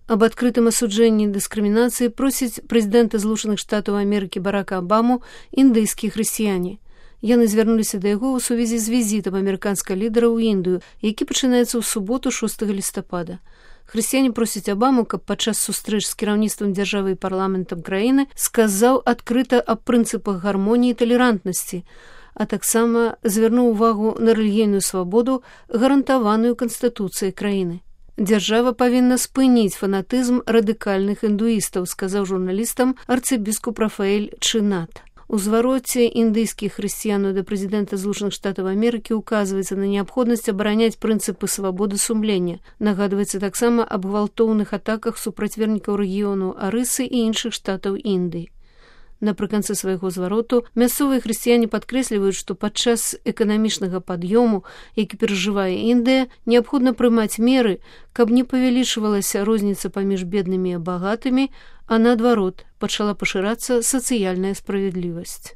Аб адкрытым асуджэнні дыскрымінацыі просяць прэзідэнта Злучаных Штатаў Амерыкі Барака Абаму індыйскія хрысціяне. Яны звярнуліся да яго ў сувязі з візітам амерыканскага лідара ў Індыю, які пачынаецца ў суботу 6 лістапада. Хрысціяне просяць Абаму, каб падчас сустрэч з кіраўніцтвам дзяржавы і парламентам краіны сказаў адкрыта аб прынцыпах гармоніі і талерантнасці, а таксама звярнуў увагу на рэлігійную свабоду, гарантаваную Канстытуцыяй краіны. Дзяржава павінна спыніць фанатызм радыкальных індуістаў, сказаў журналістам арцыбіскуп Рафаэль Чынат. У звароце індыйскіх хрысціянаў да прэзідэнта Злучаных Штатаў Амерыкі указваецца на неабходнасць абараняць прынцыпы свабоды сумлення. Нагадваецца таксама аб гвалтоўных атаках супраць вернікаў рэгіёну Арысы і іншых штатаў Індыі. Напрыканцы свайго звароту мясцовыя хрысціяне падкрэсліваюць, што падчас эканамічнага пад'ёму, які перажывае Індыя, неабходна прымаць меры, каб не павялічвалася розніца паміж беднымі і багатымі, а наадварот, пачала пашырацца сацыяльная справядлівасць.